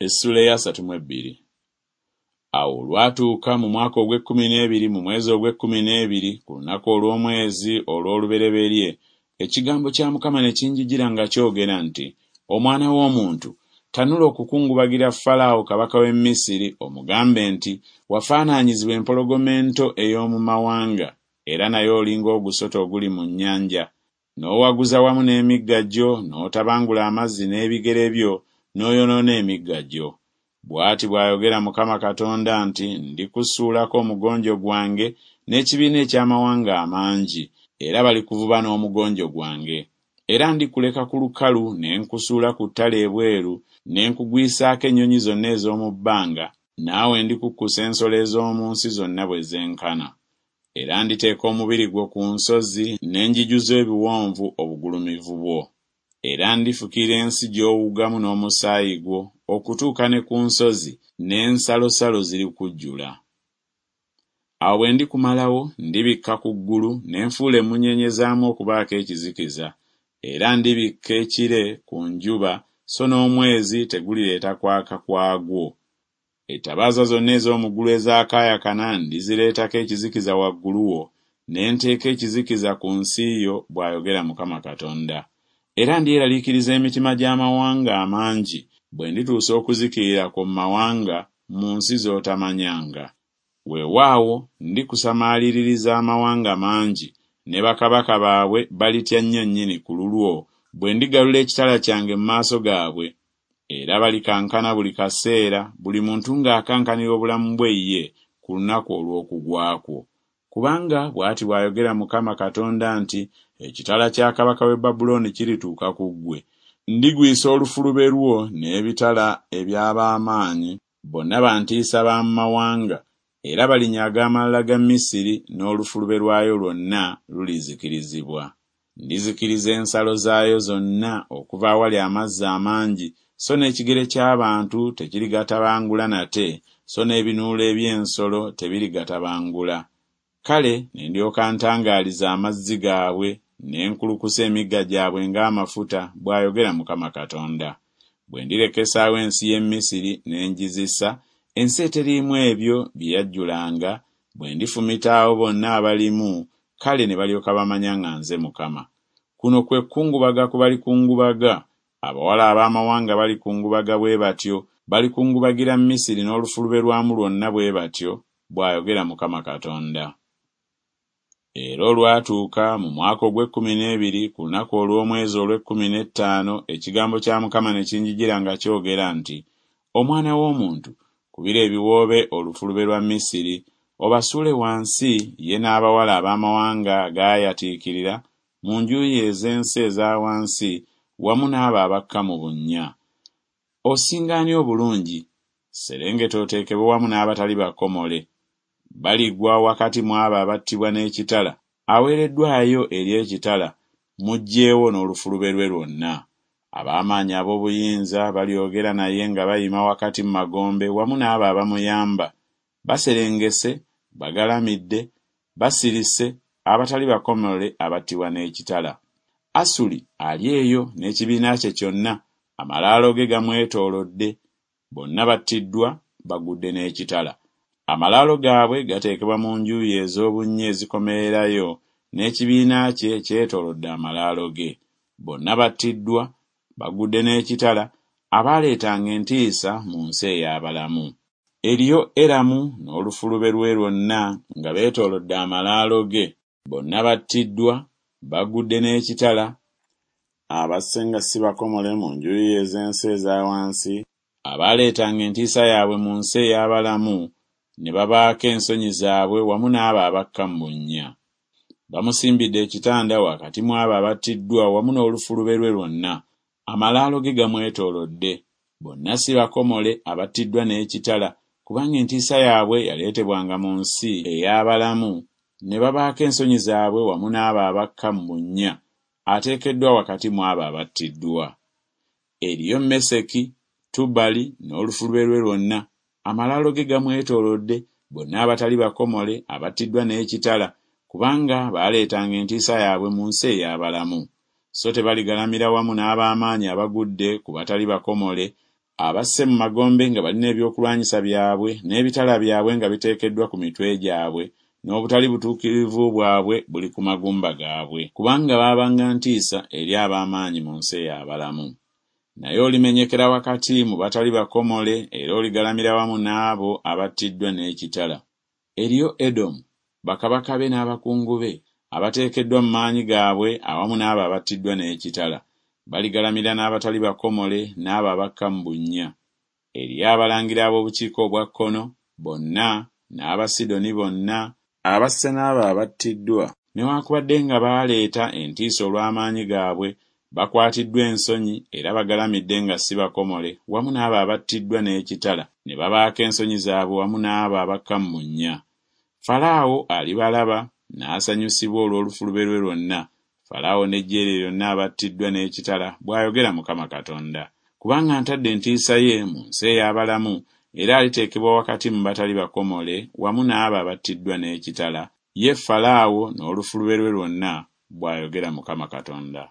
Essuula ey'asatu mu ebbiri. Awo olwatuuka mu mwaka ogw'ekkumi n'ebiri mu mwezi ogw'ekkumi n'ebiri ku lunaku olw'omwezi olw'olubereberye, ekigambo kya Mukama ne kinjijira nga kyogera nti, Omwana w'omuntu, tanula okukungubagira Falaawo kabaka w'e Misiri, omugambe nti Wafaanaanyizibwa empologoma ento ey'omu mawanga, era naye oli ng'ogusota oguli mu nnyanja, n'owaguza wamu n'emigga gyo, n'otabangula amazzi n'ebigere byo, n'oyonoona emigga gyo. Bw'ati bw'ayogera Mukama Katonda nti Ndikusuulako omugonjo gwange n'ekibiina eky'amawanga amangi, era balikuvuba n'omugonjo gwange. Era ndikuleka ku lukalu ne nkusuula ku ttale ebweru, ne nkugwisaako ennyonyi zonna ez'omu bbanga, naawe ndikukkusa ensolo ez'omu nsi zonna bwe zenkana. Era nditeeka omubiri gwo ku nsozi, ne njijuza ebiwonvu obugulumivu bwo. Era ndifukirira ensi gy'owugamu n'omusaayi gwo okutuuka ne ku nsozi, n'ensalosalo zirikujjula. Awo bwe ndikumalawo, ndibikka ku ggulu, ne nfuula emmunyeenye zaamu okubaako ekizikiza, era ndibikka ekire ku njuba, so n'omwezi tegulireeta kwaka kwagwo. Ettabaaza zonna ez'omu ggulu ezaakaayakana ndizireetako ekizikiza waggulu wo, ne nteeka ekizikiza ku nsi yo, bw'ayogera Mukama Katonda. Era ndyeraliikiriza emitima gy'amawanga amangi, bwe ndituusa okuzikirira kwo mu mawanga, mu nsi z'otamanyanga. Weewaawo, ndikusamaaliririza amawanga mangi, ne bakabaka baabwe balitya nnyo nnyini ku lulwo, bwe ndigalula ekitala kyange mu maaso gaabwe, era balikankana buli kaseera, buli muntu ng'akankanira obulamu bwe ye ku lunaku olw'okugwa kwo. Kubanga bw'ati bw'ayogera Mukama Katonda nti Ekitala kya kabaka w'e Babulooni kirituuka ku ggwe, ndigwisa olufulube lwo n'ebitala eby'ab'amaanyi, bonna ba ntiisa ba mu mawanga, era balinyaga amalala ga Misiri, n'olufulube lwayo lwonna lulizikirizibwa. Ndizikiriza ensalo zaayo zonna okuva awali amazzi amangi, so n'ekigere ky'abantu tekirigatabangula nate, so n'ebinuulo eby'ensolo tebirigatabangula. Kale ne ndyoka ntangaaliza amazzi gaabwe, ne nkulukusa emigga gyabwe ng'amafuta, bw'ayogera Mukama Katonda. Bwe ndirekesaawo ensi y'e Misiri ne ngizisa, ensi eteriimu ebyo bye yajjulanga, bwe ndifumita abo bonna abalimu, kale ne balyoka bamanya nga nze Mukama. Kuno kwe kukungubaga ku balikungubaga, abawala ab'amawanga balikungubaga bwe batyo, balikungubagira Misiri n'olufulube lwamu lwonna bwe batyo, bw'ayogera Mukama Katonda. Era olwatuuka mu mwaka ogw'ekkumi n'ebiri ku lunaku olw'omwezi olw'ekkumi n'ettaano ekigambo kya Mukama ne kinjijira nga kyogera nti, Omwana w'omuntu, kubira ebiwoobe olufulube lwa Misiri, obasuule wansi ye n'abawala ab'amawanga agaayatiikirira mu njuyi ez'ensi eza wansi wamu n'abo abakka mu bunnya. Osinga ani obulungi? Serengeta oteekebwe wamu n'abatali bakomole. Baligwa wakati mu abo abattibwa n'ekitala, aweereddwayo eri ekitala, muggyeewo n'olufulube lwe lwonna. Ab'amaanyi ab'obuyinza balyogera naye nga bayima wakati mu magombe wamu n'abo abamuyamba, baserengese, bagalamidde, basirise, abatali bakomole abattibwa n'ekitala. Asuli ali eyo n'ekibiina kye kyonna, amalaalo ge gamwetoolodde, bonna battiddwa, bagudde n'ekitala. Amalaalo gaabwe gateekebwa mu njuyi ez'obunnya ezikomererayo, n'ekibiina kye kyetoolodde amalaalo ge. Bonna battiddwa, bagudde n'ekitala, abaaleetanga entiisa mu nsi ey'abalamu. Eriyo Eramu n'olufulube lwe lwonna nga beetoolodde amalaalo ge, bonna battiddwa, bagudde n'ekitala, abasse nga si bakomole mu njuyi ez'ensi eza wansi, abaaleetanga entiisa yaabwe mu nsi ey'abalamu, ne babaako ensonyi zaabwe wamu n'abo abakka mu bunnya. Bamusimbidde ekitanda wakati mu abo abattiddwa wamu n'olufulube lwe lwonna, amalaalo ge gamwetoolodde, bonna si bakomole abattiddwa n'ekitala, kubanga entiisa yaabwe yaleetebwanga mu nsi ey'abalamu, ne babaako ensonyi zaabwe wamu n'abo abakka mu bunnya, ateekeddwa wakati mu abo abattiddwa. Eriyo Meseki, Tubali n'olufulube lwe lwonna, amalaalo ge gamwetoolodde, bonna abatali bakomole abattiddwa n'ekitala, kubanga baaleetanga entiisa yaabwe mu nsi ey'abalamu. So tebaligalamira wamu n'ab'amaanyi abagudde ku batali bakomole, Abasse mu magombe nga balina ebyokulwanyisa byabwe n'ebitala byabwe nga biteekeddwa ku mitwe gyabwe, n'obutali butuukirivu bwabwe buli ku magumba gaabwe, kubanga baabanga ntiisa eri ab'amaanyi mu nsi ey'abalamu. Naye olimenyekera wakati mu batali bakomole era oligalamira wamu n'abo abattiddwa n'ekitala. Eriyo Edomu, bakabaka be n'abakungu be, abateekeddwa mu maanyi gaabwe awamu n'abo abattiddwa n'ekitala, baligalamira n'abatali bakomole n'abo abakka mu bunnya. Eriyo abalangira ab'obukiika obwa kkono bonna n'Abasidoni bonna, abasse n'abo abattiddwa, newakubadde nga baaleeta entiisa olw'amaanyi gaabwe, bakwatiddwa ensonyi era bagalamidde nga si bakomole wamu n'abo abattiddwa n'ekitala, ne babaako ensonyi zaabwe wamu n'abo abakka mu bunnya. Falaawo alibalaba n'asanyusibwa olw'olufulube lwe lwonna, Falaawo n'eggye lye lyonna abattiddwa n'ekitala, bw'ayogera Mukama Katonda. Kubanga ntadde entiisa ye mu nsi ey'abalamu, era aliteekebwa wakati mu batali bakomole wamu n'abo abattiddwa n'ekitala, ye Falaawo n'olufulube lwe lwonna, bw'ayogera Mukama Katonda.